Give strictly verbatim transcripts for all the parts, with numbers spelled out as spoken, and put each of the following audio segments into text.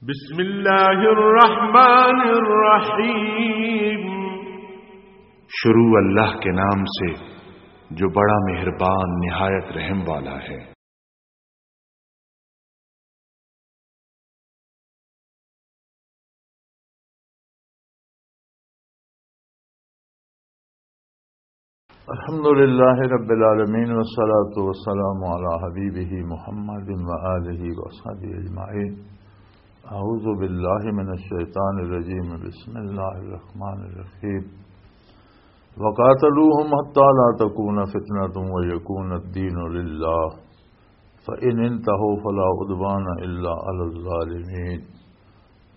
بسم اللہ الرحمن الرحیم۔ شروع اللہ کے نام سے، جو بڑا مہربان، نہایت رحم والا ہے۔ الحمد لله رب العالمين، والصلاة والسلام على حبيبه محمد وآله وصحبه أجمعين. أعوذ بالله من الشيطان الرجيم. بسم الله الرحمن الرحيم. وقاتلوهم حتى لا تكون فتنة ويكون الدين لله، فإن انتهوا فلا عدوان إلا على الظالمين.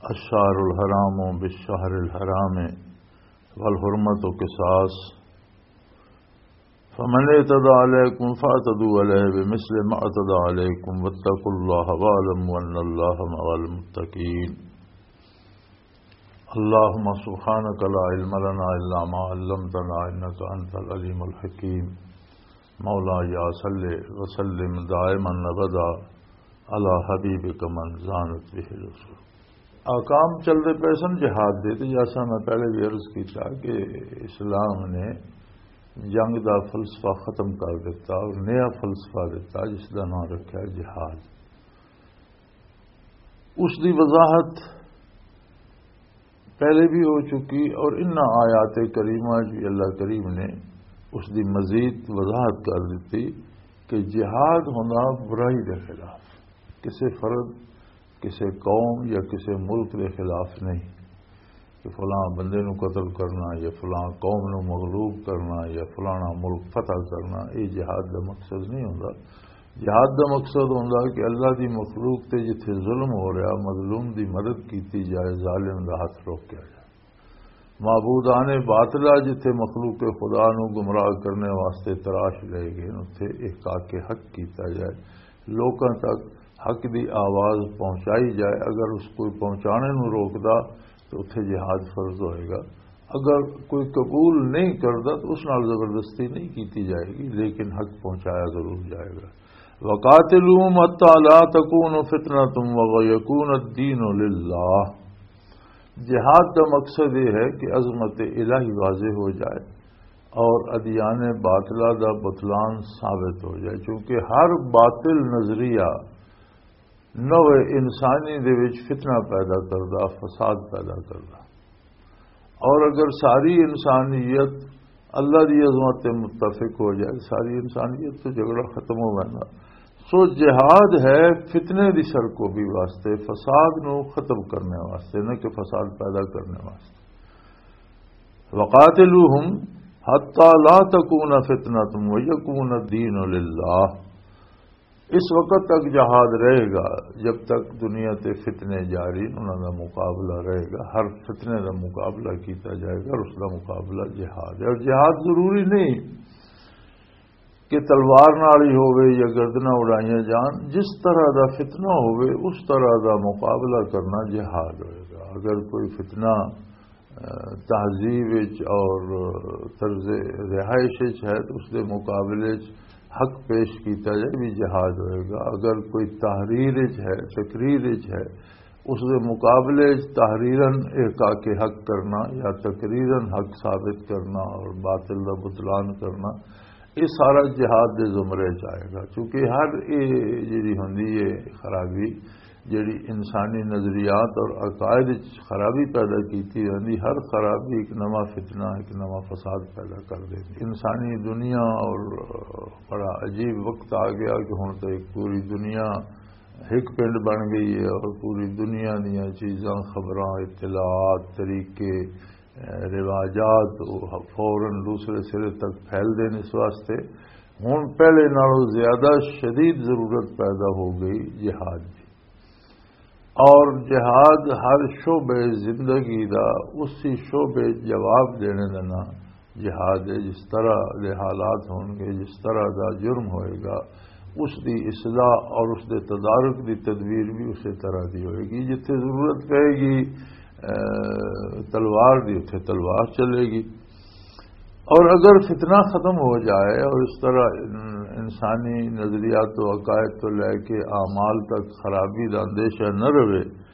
الشهر الحرام بالشهر الحرام والحرمة قصاص، فمن اعتدى عليكم فاعتدوا عليه بمثل ما اعتدى عليكم، واتقوا الله واعلموا أن الله مع المتقين. اللهم سبحانك لا علم لنا إلا ما علمتنا إنك أنت العليم الحكيم. مولاي صل وسلم دائما أبدا على حبيبك من زانت به العصور. احکام چلدے پئے سن جہاد دے، تے جیسا میں پہلے بھی عرض کیتا کہ اسلام نے جنگ دا فلسفہ ختم کر دیتا اور نیا فلسفہ دیتا، جس دا نام رکھیا جہاد۔ اس دی وضاحت پہلے بھی ہو چکی، اور ان آیات کریمہ چ بھی اللہ کریم نے اس دی مزید وضاحت کر دیتی کہ جہاد ہونا برائی دے خلاف، کسی فرد، کسی قوم یا کسی ملک دے خلاف نہیں کہ فلاں بندے نو قتل کرنا یا فلاں قوم نو مغلوب کرنا یا فلانا ملک فتح کرنا، یہ جہاد دا مقصد نہیں ہوندا۔ جہاد دا مقصد ہوندا کہ اللہ دی مخلوق تے جتھے ظلم ہو رہا، مظلوم دی مدد کیتی جائے، ظالم دا ہاتھ روکیا جائے۔ معبودان باطلہ جتھے مخلوق خدا نو گمراہ کرنے واسطے تراش لے گئے، اتھے احقاق حق کیتا جائے، لوکاں تک حق دی آواز پہنچائی جائے۔ اگر اس کوئی پہنچانے نو روکدا تو اتھے جہاد فرض ہوئے گا۔ اگر کوئی قبول نہیں کردا تو اس نال زبردستی نہیں کیتی جائے گی، لیکن حق پہنچایا ضرور جائے گا۔ وقاتلوہم حتی لا تکون فتنۃ ویکون الدین للہ۔ جہاد دا مقصد یہ ہے کہ عظمت الہی واضح ہو جائے اور ادیان باطلہ دا بطلان ثابت ہو جائے، کیونکہ ہر باطل نظریہ نوع انسانی دے وچ فتنہ پیدا کردا، فساد پیدا کردا۔ اور اگر ساری انسانیت اللہ دی عظمت تے متفق ہو جائے، ساری انسانیت تو جھگڑا ختم ہو جائے۔ سو جہاد ہے فتنے دی سرکوبی واسطے، فساد نو ختم کرنے واسطے، نہ کہ فساد پیدا کرنے واسطے۔ وقاتلوہم حتی لا تکون فتنۃ ویکون الدین للہ۔ اس وقت تک جہاد رہے گا، جب تک دنیا تے فتنے جاری، انہاں دا مقابلہ رہے گا، ہر فتنے دا مقابلہ کیتا جائے گا اور اس دا مقابلہ جہاد ہے۔ اور جہاد ضروری نہیں کہ تلوار نال ہی ہووے یا گردناں اڑائیاں جان، جس طرح دا فتنہ ہووے، اس طرح دا مقابلہ کرنا جہاد ہوئے گا۔ اگر کوئی فتنہ، آ، تہذیب وچ اور طرز رہائش وچ ہے تو اس دے مقابلے وچ حق پیش کیتا جائے، بھی جہاد ہوئے گا۔ اگر کوئی تحریر وچ ہے، تقریر وچ ہے، اس دے مقابلے وچ تحریراً احقاق حق کرنا یا تقریراً حق ثابت کرنا اور باطل دا بطلان کرنا، یہ سارا جہاد دے زمرے چ آئے گا۔ کیونکہ ہر یہ جڑی ہوندی ہے خرابی، جڑی انسانی نظریات اور عقائد وچ خرابی پیدا کیتی ہوندی، ہر خرابی ایک نواں فتنہ، ایک نواں فساد پیدا کر دیندی۔ انسانی دنیا اور بڑا عجیب وقت آ گیا کہ ہن تو ایک پوری دنیا ایک پنڈ بن گئی ہے اور پوری دنیا دیاں چیزاں، خبراں، اطلاعات، طریقے، رواجات فوراً دوسرے سرے تک پھیل دین۔ اس واسطے ہن پہلے نالوں زیادہ شدید ضرورت پیدا ہو گئی جہاد دی۔ اور جہاد ہر شعبے زندگی دا، اسی شعبے جواب دینے دا نام جہاد ہے۔ جس طرح دے حالات ہون گے، جس طرح دا جرم ہوئے گا، اس دی اصلاح اور اس دے تدارک دی تدبیر بھی اسی طرح دی ہوئے گی۔ جتھے ضرورت پئے گی، اے، تلوار دی، اتھے تلوار چلے گی۔ اور اگر فتنہ ختم ہو جائے اور اس طرح ان-، انسانی نظریات و عقائد تو لے کے اعمال تک خرابی دا اندیشہ نہ رہے،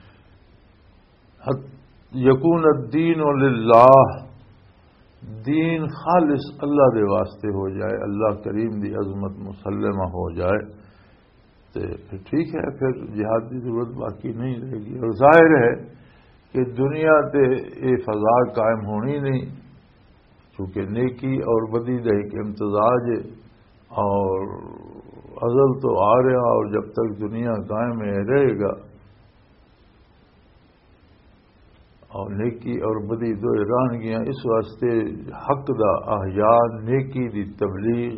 یکون الدین للہ، دین خالص اللہ دے واسطے ہو جائے، اللہ کریم دی عظمت مسلمہ ہو جائے، تے پھر ٹھیک ہے، پھر جہاد دی ضرورت باقی نہیں رہے گی۔ اور ظاہر ہے کہ دنیا تے یہ فضا قائم ہونی نہیں، چونکہ نیکی اور بدی دا ایک امتزاج ہے، اور ازل تو آ رہا، اور جب تک دنیا قائم ہے، رہے گا۔ اور نیکی اور بدی دوئے رہن گیاں۔ اس واسطے حق دا احیاء، نیکی دی تبلیغ،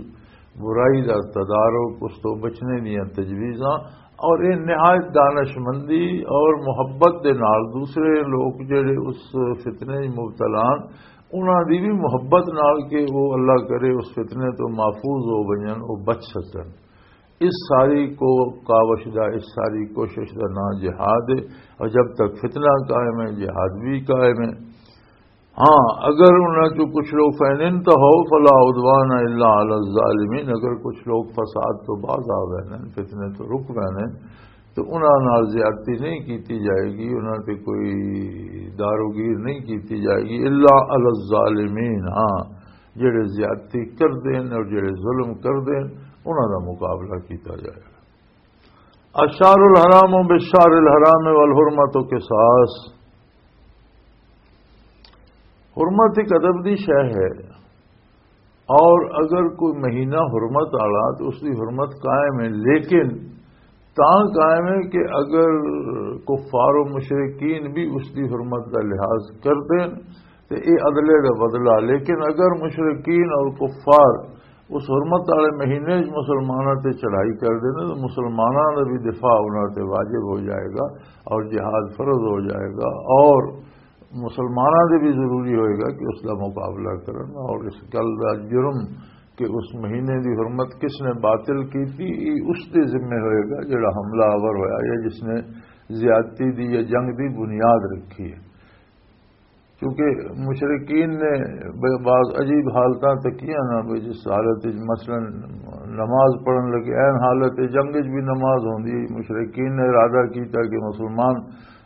برائی دا تدارک، اس تو بچنے دیاں تجویزاں، اور یہ نہایت دانشمندی اور محبت دے نال دوسرے لوگ جڑے اس فتنے وچ مبتلا ہن، انہاں دی بھی محبت نال کہ وہ اللہ کرے اس فتنے تو محفوظ ہو ونجن، وہ بچ سکن۔ اس ساری کو کاوش دا، اس ساری کوشش دا نام جہاد ہے۔ اور جب تک فتنہ قائم ہے، جہاد بھی قائم ہے۔ ہاں، اگر انہاں چوں کچھ لوگ فین انتہو فلا عدوان الا علی الظالمین، اگر کچھ لوگ فساد تو باز آ گئے ہیں، فتنے تو رک گئے ہیں، تو انہاں نال زیادتی نہیں کیتی جائے گی، انہاں تے کوئی داروگیر نہیں کیتی جائے گی، الا علی الظالمین، ہاں، جڑے زیادتی کر دین اور جڑے ظلم کر دین، انہاں دا مقابلہ کیتا جائے گا۔ الشہر الحرام بالشہر الحرام والحرمت قصاص۔ حرمت ایک ادب دی شے ہے، اور اگر کوئی مہینہ حرمت والا تو اس دی حرمت قائم ہے، لیکن تاں قائم ہے کہ اگر کفار و مشرکین بھی اس دی حرمت دا لحاظ کر دین تے اے عدلے دا بدلہ۔ لیکن اگر مشرکین اور کفار اس حرمت والے مہینے وچ مسلماناں تے چڑھائی کر دین تے مسلماناں دا بھی دفاع انہاں تے واجب ہو جائے گا اور جہاد فرض ہو جائے گا، اور مسلماناں دے بھی ضروری ہوئے گا کہ اس دا مقابلہ کرن، اور اس گل دا جرم کہ اس مہینے دی حرمت کس نے باطل کی تھی، یہ اس دے ذمے ہوئے گا جڑا حملہ آور ہویا یا جس نے زیادتی دی یا جنگ دی بنیاد رکھی ہے۔ کیونکہ مشرکین نے ب-، بعض عجیب حالتاں تکیاں نا، بھی جس حالت وچ مثلاً نماز پڑھن لگے، این حالت جنگ وچ بھی نماز ہوندی ہے۔ مشرکین نے ارادہ کیتا کہ مسلمان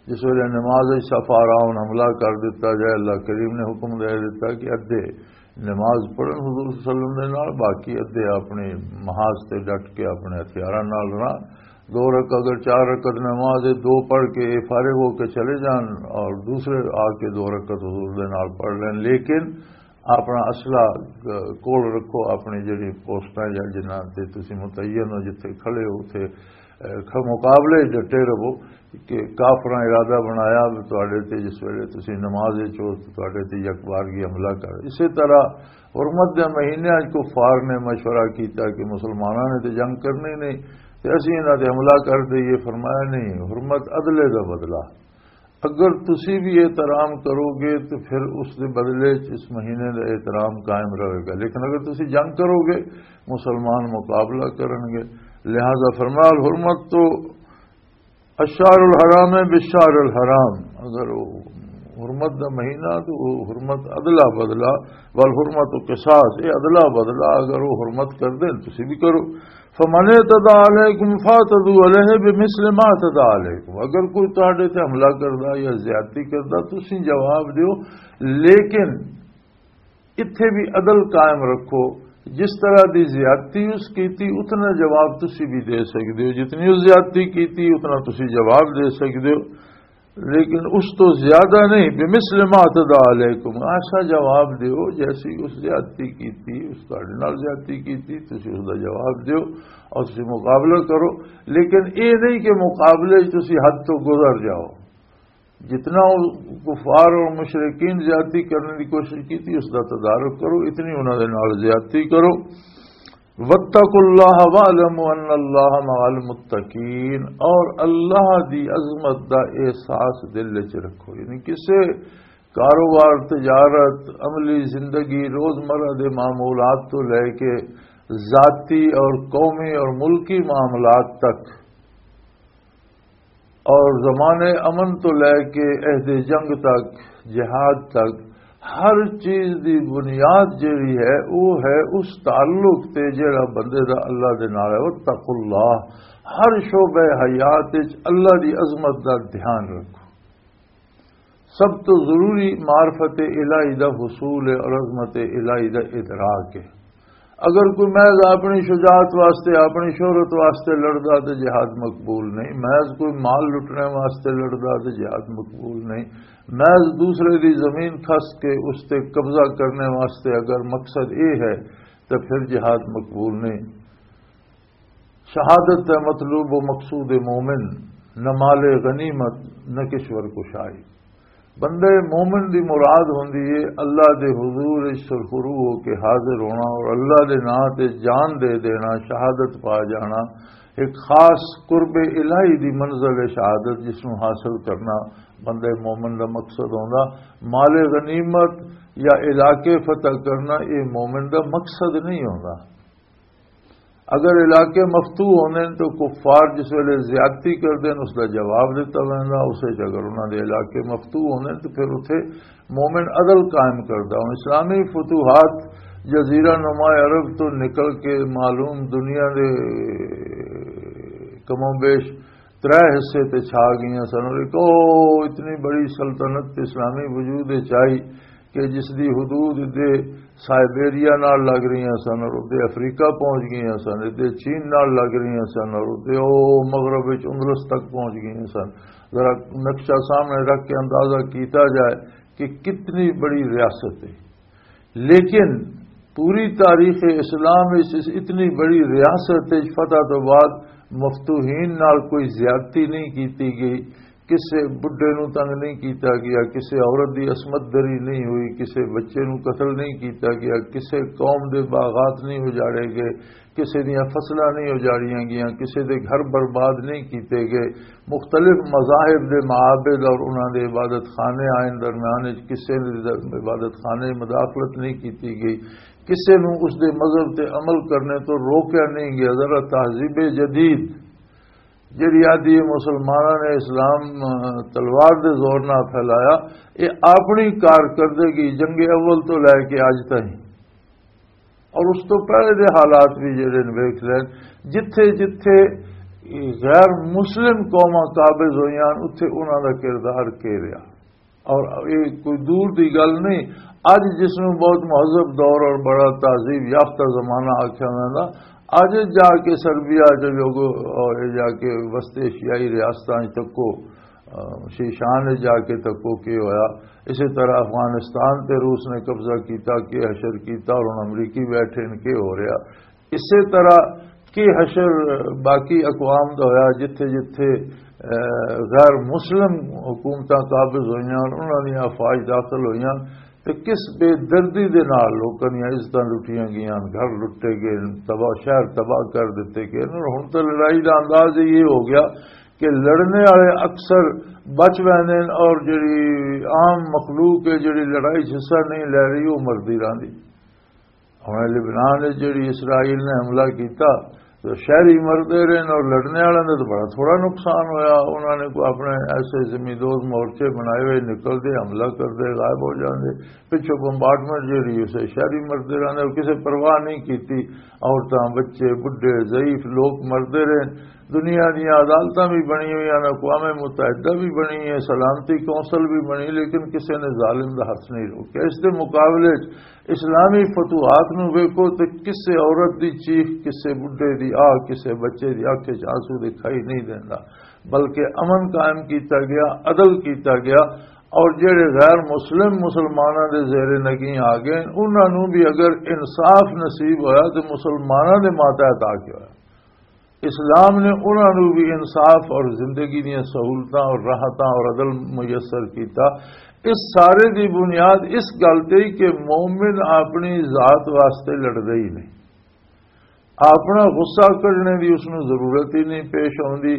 جس ویلے نماز وچ صف آ رہا ہون، حملہ کر دتا جائے، اللہ کریم نے حکم دے دتا کہ ادھے نماز پڑھن حضور صلی اللہ علیہ وسلم دے نال، باقی ادھے اپنے محاذ تے ڈٹ کے اپنے ہتھیاراں نال رہن۔ دو رکعت، اگر چار رکعت نماز ہے، دو پڑھ کے یہ فارغ ہو کے چلے جان اور دوسرے آ کے دو رکعت حضور دے نال پڑھ لین، لیکن اپنا اسلحہ، اہ، کول رکھو، اپنی جڑی پوسٹاں یا جنہاں تے تسی متعین ہو، جتھے کھڑے ہو، اتھے، اہ، کھ-، مقابلے ڈٹے رہو کہ کافراں ارادہ بنایا بھی تواڈے تے، جس ویلے تسی نماز وچ ہو تے تواڈے تے یک بارگی حملہ کر۔ اسی طرح حرمت دے مہینے اچ کفار نے مشورہ کیتا کہ مسلماناں نے تے جنگ کرنی نہیں تے اسی انہاں تے حملہ کر دئیے۔ فرمایا، نہیں، حرمت عدلے دا بدلہ۔ اگر تسی بھی احترام کرو گے تو پھر اس دے بدلے چ اس مہینے دا احترام قائم رہے گا، لیکن اگر تسی جنگ کرو گے، مسلمان مقابلہ کرن گے۔ لہذا فرمایا، الحرمت تو الشہر الحرام ہے بالشہر الحرام۔ اگر وہ حرمت دا مہینہ تو وہ حرمت عدلہ بدلہ، والحرمت قصاص، یہ عدلہ بدلہ، اگر وہ حرمت کر دیں تسی بھی کرو۔ فمن اعتدى عليكم فاعتدوا عليه بمثل ما اعتدى عليكم۔ اگر کوئی تہاڈے تے حملہ کردا یا زیادتی کردا، تسی جواب دیو، لیکن اتھے بھی عدل قائم رکھو۔ جس طرح دی زیادتی اس کیتی، اتنا جواب تسی بھی دے سکدے ہو، جتنی اس زیادتی کیتی، اتنا تسی جواب دے سکدے ہو۔ لیکن اس تو زیادہ نہیں، بمثل ما اعتدى عليكم، ایسا جواب دیو جیسی اس زیادتی کیتی، اس تہاڈے نال زیادتی کیتی، تسی اس دا جواب دیو اور تسی مقابلہ کرو۔ لیکن اے نہیں کہ مقابلے وچ تسی حد تو گزر جاؤ۔ جتنا وہ کفار اور مشرکین زیادتی کرنے کی کوشش کیتی، اس دا تدارک کرو، اتنی انہاں دے نال زیادتی کرو۔ واتقوا الله واعلموا ان الله مع المتقين، اور اللہ دی عظمت دا احساس دل وچ رکھو۔ یعنی کسے کاروبار، تجارت، عملی زندگی، روزمرہ دے معمولات تو لے کے ذاتی اور قومی اور ملکی معاملات تک، اور زمانے امن تو لے کے عہد جنگ تک، جہاد تک، ہر چیز دی بنیاد جیڑی ہے، وہ ہے اس تعلق تے جیڑا بندے دا اللہ دے نال ہے۔ واتقوا اللہ، ہر شعبہ حیات وچ اللہ دی عظمت دا دھیان رکھو۔ سب تو ضروری معرفت الہی دا حصول ہے اور عظمت الہی دا ادراک ہے۔ اگر کوئی محض اپنی شجاعت واسطے، اپنی شہرت واسطے لڑدا تے جہاد مقبول نہیں، محض کوئی مال لٹنے واسطے لڑدا تے جہاد مقبول نہیں، محض دوسرے دی زمین کھس کے اس تے قبضہ کرنے واسطے اگر مقصد اے ہے تو پھر جہاد مقبول نہیں۔ شہادت ہے مطلوب و مقصود مومن، نہ مال غنیمت، نہ کشور کشائی۔ بندے مومن دی مراد ہوندی ہے اللہ دے حضور وچ سرخرو ہو کے حاضر ہونا اور اللہ دے نام تے جان دے دینا، شہادت پا جانا۔ ایک خاص قرب الہی دی منزل ہے شہادت، جس نوں حاصل کرنا بندے مومن دا مقصد ہوندا۔ مال غنیمت یا علاقے فتح کرنا، یہ مومن دا مقصد نہیں ہوندا۔ اگر علاقے مفتوح ہوندے نے تو کفار جس ویلے زیادتی کردے نے، اس دا جواب دتا ویندا۔ اسے چ اگر انہاں دے علاقے مفتوح ہوندے نے تو پھر اتھے مومن عدل قائم کردا۔ ہن اسلامی فتوحات جزیرہ نما عرب تو نکل کے معلوم دنیا دے کم و بیش ترے حصے تے چھا گئیاں سن، اور ایک او اتنی بڑی سلطنت اسلامی وجود وچ آئی کہ جس دی حدود ادے سائبیریا نال لگ رہیاں سن، اور ادے افریقہ پہنچ گئیاں سن، ادے چین نال لگ رہیاں سن، اور ادے او مغرب وچ اندلس تک پہنچ گئیاں سن۔ ذرا نقشہ سامنے رکھ کے اندازہ کیتا جائے کہ کتنی بڑی ریاست ہے۔ لیکن پوری تاریخ اسلام اس، اس اتنی بڑی ریاست وچ فتح تو بعد مفتوحین نال کوئی زیادتی نہیں کیتی گئی، کسے بڈھے نو تنگ نہیں کیتا گیا، کسے عورت دی عصمت دری نہیں ہوئی، کسے بچے نو قتل نہیں کیتا گیا، کسے قوم دے باغات نہیں اجاڑے گئے، کسے دیاں فصلاں نہیں اجاڑیاں گیاں، کسے دے گھر برباد نہیں کیتے گئے۔ مختلف مذاہب دے معابد اور انہاں دے عبادت خانے آئین درمیان وچ کسے دے عبادت خانے مداخلت نہیں کیتی گئی، کسے نوں اس دے مذہب تے عمل کرنے تو روکیا نہیں گیا۔ ذرا تہذیب جدید جڑی آدھی مسلماناں نے اسلام، آ، تلوار دے زور نال پھیلایا، یہ اپنی کارکردگی جنگ اول تو لے کے اج تائیں اور اس تو پہلے دے حالات بھی جڑے نے ویکھ لین، جتھے جتھے غیر مسلم قوماں قابض ہوئیاں، اتھے انہاں دا کردار کی رہا۔ اور یہ کوئی دور دی گل نہیں، اج جس نوں بہت مہذب دور اور بڑا تہذیب یافتہ زمانہ آکھیا ویندا، اج جا کے سربیا چ جو اور جا کے وسط ایشیائی ریاستاں وچ تکو، آ، شیشان جا کے تکو کی ہویا۔ اسی طرح افغانستان تے روس نے قبضہ کیتا، کی حشر کیتا، اور ہن امریکی بیٹھے نے، کی ہو رہا۔ اسی طرح کی حشر باقی اقوام دا ہویا، جتھے جتھے، آ، غیر مسلم حکومتاں قابض ہوئیاں، انہاں دیاں افواج داخل ہوئیاں، تے کس بے دردی دے نال لوکاں دیاں عزتاں لٹیاں گئیاں، گھر لٹے گئے، تباہ، شہر تباہ کر دتے گئے۔ اور ہن تے لڑائی دا انداز یہ ہو گیا کہ لڑنے والے اکثر بچ ویندے نے اور جڑی عام مخلوق ہے، جڑی لڑائی 'چ حصہ نہیں لے رہی، وہ مردی رہندی۔ ہن لبنان وچ جڑی اسرائیل نے حملہ کیتا، تو شہری مردے رہے نے اور لڑنے والے نے تو بڑا تھوڑا نقصان ہویا۔ انہاں نے کوئی اپنے ایسے زمین دوز مورچے بنائے ہوئے، نکلدے، حملہ کردے، غائب ہو جاندے۔ پچھوں بمبارڈمنٹ جڑی، اسے شہری مردے رہندے اور کسے پرواہ نہیں کیتی۔ عورتاں، بچے، بڈھے، ضعیف لوگ مردے رہے۔ دنیا دیاں عدالتاں بھی بنی ہوئی ہیں، اقوام متحدہ بھی بنی ہے، سلامتی کونسل بھی بنی، لیکن کسے نے ظالم دا ہاتھ نہیں روکیا۔ اس دے مقابلے 'چ اسلامی فتوحات نو ویکھو تے کسے عورت دی چیخ، کسے بڈھے دی آہ، کسے بچے دی اکھ وچ آنسو دکھائی نہیں دیندا، بلکہ امن قائم کیتا گیا، عدل کیتا گیا۔ اور جڑے غیر مسلم مسلماناں دے زیر نگین آ گئے، انہاں نو بھی اگر انصاف نصیب ہویا تے مسلماناں دے ماتحت آ کے ہویا۔ اسلام نے انہاں نوں بھی انصاف اور زندگی دیاں سہولتاں اور راحتاں اور عدل میسر کیتا۔ اس سارے دی بنیاد اس گل تے ہی کہ مومن اپنی ذات واسطے لڑدا ہی نہیں، اپنا غصہ کڈنے دی اس نوں ضرورت ہی نہیں پیش آوندی،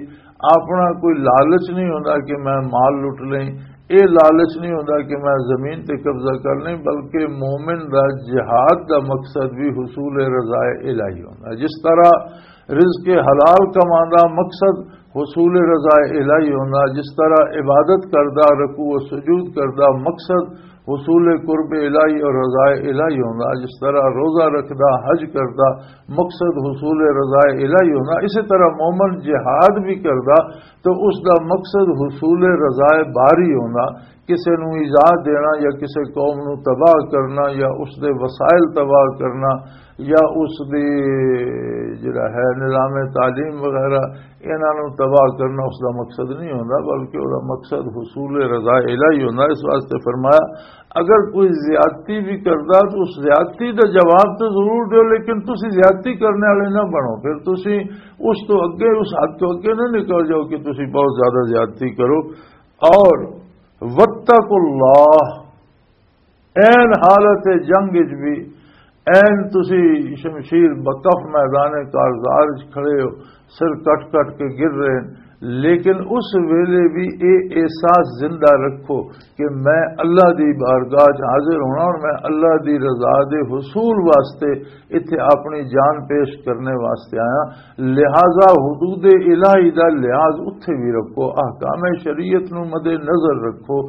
اپنا کوئی لالچ نہیں ہوندا کہ میں مال لٹ لیں، اے لالچ نہیں ہوندا کہ میں زمین تے قبضہ کر لیں، بلکہ مومن دا جہاد دا مقصد بھی حصول رضائے الہی ہوندا۔ جس طرح رزق حلال کمانا مقصد حصول رضا الہی ہونا، جس طرح عبادت کردا، رکوع و سجود کردا مقصد حصول قرب الہی اور رضائے الہی ہونا۔ جس طرح روزہ رکھدا، حج کردا، مقصد حصول رضائے الہی ہونا، اسی طرح مومن جہاد بھی کردا تو اس دا مقصد حصول رضائے باری ہونا۔ کسے نوں ایذا دینا یا کسے قوم نوں تباہ کرنا یا اس دے وسائل تباہ کرنا یا اس دے جڑا ہے نظام تعلیم وغیرہ، انہاں نوں تباہ کرنا اس دا مقصد نہیں ہوندا، بلکہ اس دا مقصد حصول رضا الہی ہوندا۔ اس واسطے فرمایا، اگر کوئی زیادتی بھی کردا تو اس زیادتی دا جواب تو ضرور دیو، لیکن تسی زیادتی کرنے والے نہ بنو۔ پھر تسی اس تو اگے، اس حد تو اگے نہ نکل جاؤ کہ تسی بہت زیادہ زیادتی کرو۔ اور واتقوا اللہ، این حالت جنگ وچ بھی، این تسی شمشیر بکف میدان کارزار وچ کھڑے ہو، سر کٹ کٹ کے گر رہے ہیں، لیکن اس ویلے بھی اے احساس زندہ رکھو کہ میں اللہ دی بارگاہ وچ حاضر ہونا اور میں اللہ دی رضا دے حصول واسطے اتھے اپنی جان پیش کرنے واسطے آیا۔ لہذا حدود الہی دا لحاظ اتھے بھی رکھو، احکام شریعت نو مد نظر رکھو،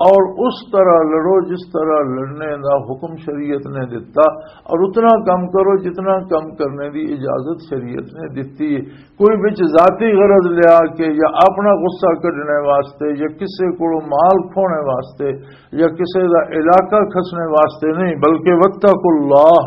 اور اس طرح لڑو جس طرح لڑنے دا حکم شریعت نے دتا، اور اتنا کم کرو جتنا کم کرنے دی اجازت شریعت نے دتی ہے۔ کوئی وچ ذاتی غرض لیا کے یا اپنا غصہ کڈنے واسطے یا کسے کولوں مال کھونے واسطے یا کسے دا علاقہ کھسنے واسطے نہیں، بلکہ واتقوا اللہ،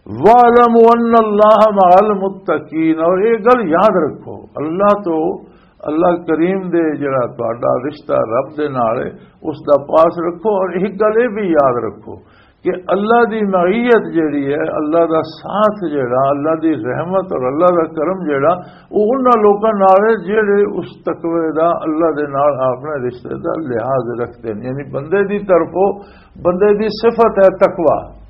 وَاعْلَمُوا أَنَّ اللَّهَ مَعَ الْمُتَّقِينَ۔ اور یہ گل یاد رکھو، اللہ تو، اللہ کریم دے جڑا تہاڈا رشتہ رب دے نال ہے، اس دا پاس رکھو۔ اور ایک گل یہ بھی یاد رکھو کہ اللہ دی معیت جڑی ہے، اللہ دا ساتھ جڑا، اللہ دی رحمت اور اللہ دا کرم جڑا، وہ انہاں لوکاں نال ہے جڑے اس تقوی دا، اللہ دے نال اپنے رشتے دا لحاظ رکھتے ہیں۔ یعنی بندے دی طرفوں، بندے دی صفت ہے تقوی۔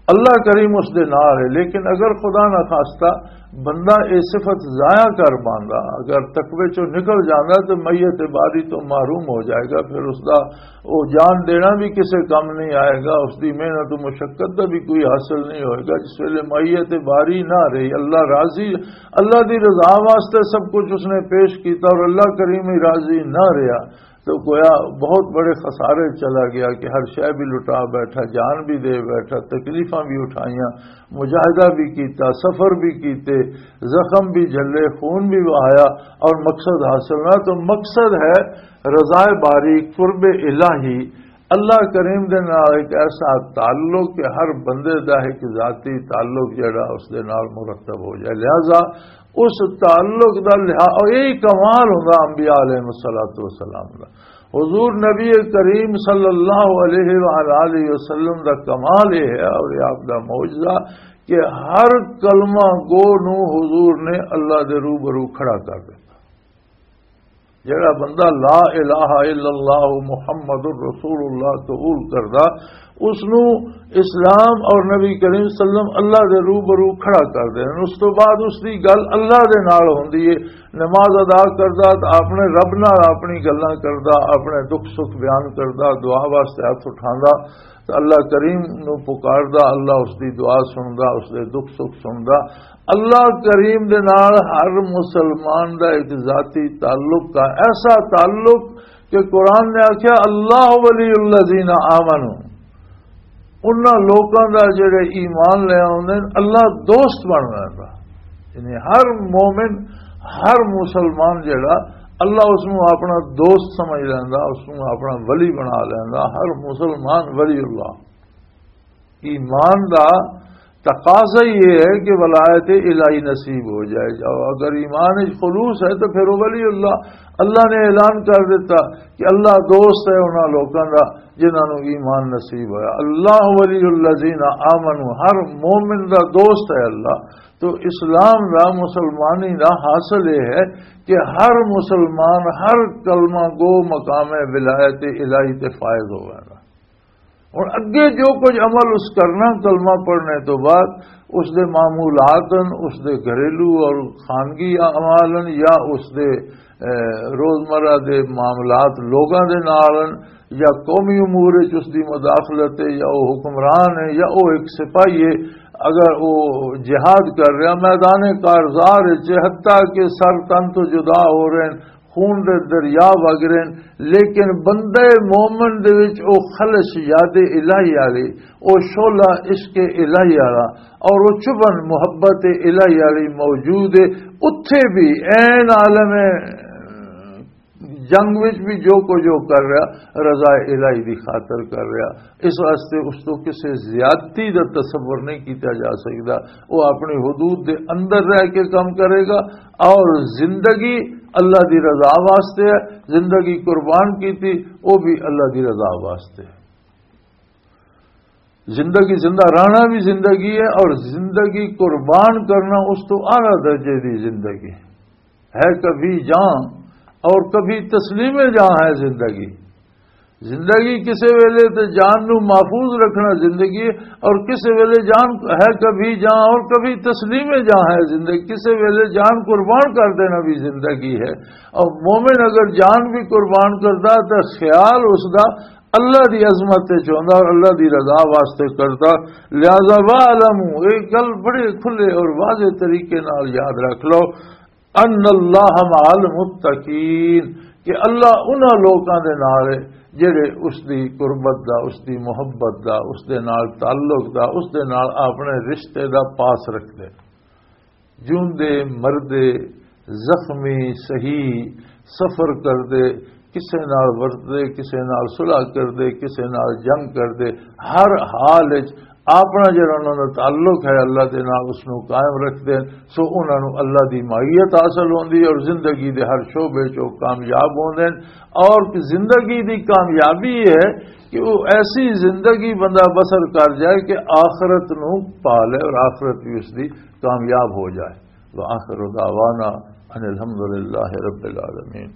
اللہ کریم اس دے نال ہے، لیکن اگر خدا نہ خواستہ بندہ یہ صفت ضائع کر پاندا، اگر تقوی چوں نکل جاندا تو میت باری تو محروم ہو جائے گا۔ پھر اس دا وہ جان دینا بھی کسے کم نہیں آئے گا، اس دی محنت و مشقت دا بھی کوئی حاصل نہیں ہوئے گا۔ جس ویلے میت باری نہ رہی، اللہ راضی، اللہ دی رضا واسطے سب کچھ اس نے پیش کیتا اور اللہ کریم ہی راضی نہ رہا، تو گویا بہت بڑے خسارے چلا گیا کہ ہر شے بھی لٹا بیٹھا، جان بھی دے بیٹھا، تکلیفاں بھی اٹھائیاں، مجاہدہ بھی کیتا، سفر بھی کیتے، زخم بھی جھلے، خون بھی بہایا، اور مقصد حاصل نہ۔ تو مقصد ہے رضا باری، قرب الہی، اللہ کریم دے نال ایک ایسا تعلق کہ ہر بندے دا ایک ذاتی تعلق جڑا اس دے نال مرتب ہو جائے۔ لہذا اس تعلق دا لحاظ، اور یہی کمال ہوندا انبیاء علیہ الصلوۃ والسلام دا۔ حضور نبی کریم صلی اللہ علیہ وآلہ وسلم دا کمال یہ ہے اور یہ آپ دا معجزہ کہ ہر کلمہ گو نو حضور نے اللہ دے روبرو کھڑا کر دیتا۔ جڑا بندہ لا الہ الا اللہ محمد رسول اللہ قبول کردا، اس نو اسلام اور نبی کریم صلی اللہ علیہ وسلم اللہ دے روبرو کھڑا کر دے۔ اس تو بعد اس دی گل اللہ دے نال ہوندی ہے۔ نماز ادا کردا تے اپنے رب نال اپنی گلاں کردا، اپنے دکھ سکھ بیان کردا، دعا واسطے ہاتھ اٹھاندا تے اللہ کریم نو پکاردا، اللہ اس دی دعا سندا، اس دے دکھ سکھ سندا۔ اللہ کریم دے نال ہر مسلمان دا ایک ذاتی تعلق کا، ایسا تعلق کہ قرآن نے آکھیا، "اللہ ولی الذین آمنوا"، انہاں لوکاں دا جڑے ایمان لے آوندے نے، اللہ دوست بن ویندا۔ یعنی ہر مومن، ہر مسلمان جڑا، اللہ اس نوں اپنا دوست سمجھ لیندا، اس نوں اپنا ولی بنا لیندا۔ ہر مسلمان ولی اللہ۔ ایمان دا تقاضا ہی یہ ہے کہ ولایت الہی نصیب ہو جائے۔ جاؤ، اگر ایمان وچ خلوص ہے تو پھر وہ ولی اللہ، اللہ نے اعلان کر دیتا کہ اللہ دوست ہے انہاں لوکاں دا جنہاں نوں ایمان نصیب ہویا۔ اللہ ولی الذین آمنوا، ہر مومن دا دوست ہے اللہ۔ تو اسلام دا، مسلمانی دا حاصل یہ ہے کہ ہر مسلمان، ہر کلمہ گو مقام ولایت الہی تے فائز ہوئے گا۔ ہن اگے جو کچھ عمل اس کرنا کلمہ پڑھنے تو بعد، اس دے معمولات ہن، اس دے گھریلو اور خانگی اعمال ہن، یا اس دے، اے، روزمرہ دے معاملات لوگاں دے نال ہن، یا قومی امور وچ اس دی مداخلت ہے، یا وہ حکمران ہے، یا وہ ایک سپاہی ہے، اگر وہ جہاد کر رہا میدان کارزار وچ، حتیٰ کہ سر تن تو جدا ہو رہے ہیں، خون دے دریا وگ رہے ہیں، لیکن بندے مومن دے وچ او خلش یاد الہی والی، او شعلہ عشق الہی والا، اور او چبھن محبت الہی والی موجود ہے۔ اتھے بھی عین عالم جنگ وچ بھی جو کچھ وہ کر رہا، رضا الہی دی خاطر کر رہا۔ اس واسطے اس تو کسی زیادتی دا تصور نہیں کیتا جا سکدا۔ وہ اپنی حدود دے اندر رہ کے کام کرے گا، اور زندگی اللہ دی رضا واسطے ہے۔ زندگی قربان کیتی، وہ بھی اللہ دی رضا واسطے ہے۔ زندگی، زندہ رہنا بھی زندگی ہے، اور زندگی قربان کرنا اس تو اعلیٰ درجے دی زندگی ہے۔ کبھی جان اور کبھی تسلیم جان ہے زندگی۔ زندگی کسے ویلے تے جان نو محفوظ رکھنا زندگی ہے، اور کسے ویلے جان ہے کبھی جان اور کبھی تسلیم جان ہے زندگی۔ کسے ویلے جان قربان کر دینا بھی زندگی ہے۔ اور مومن اگر جان بھی قربان کردا تو خیال اس دا اللہ دی عظمت تے چوندا اور اللہ دی رضا واسطے کردا۔ لہذا وَاعْلَمُوا، ایک گل بڑے کھلے اور واضح طریقے نال یاد رکھ لو، ان اللہ مع المتقین، کہ اللہ انہاں لوکاں دے نال ہے جڑے اس دی قربت دا، اس دی محبت دا، اس دے نال تعلق دا، اس دے نال اپنے رشتے دا پاس رکھدے۔ جوندے مردے، زخمی، صحیح، سفر کردے، کسے نال ورتدے، کسے نال صلح کردے، کسے نال جنگ کردے، ہر حال وچ اپنا جڑا انہاں دا تعلق ہے اللہ دے نال، اس نو قائم رکھدے، سو انہاں نو اللہ دی معیت حاصل ہوندی ہے اور زندگی دے ہر شعبے چ او کامیاب ہوندے۔ اور زندگی دی کامیابی یہ ہے کہ وہ ایسی زندگی بندہ بسر کر جائے کہ آخرت نو پا لے اور آخرت بھی اس دی کامیاب ہو جائے۔ وآخر دعوانا ان الحمد للہ رب العالمین۔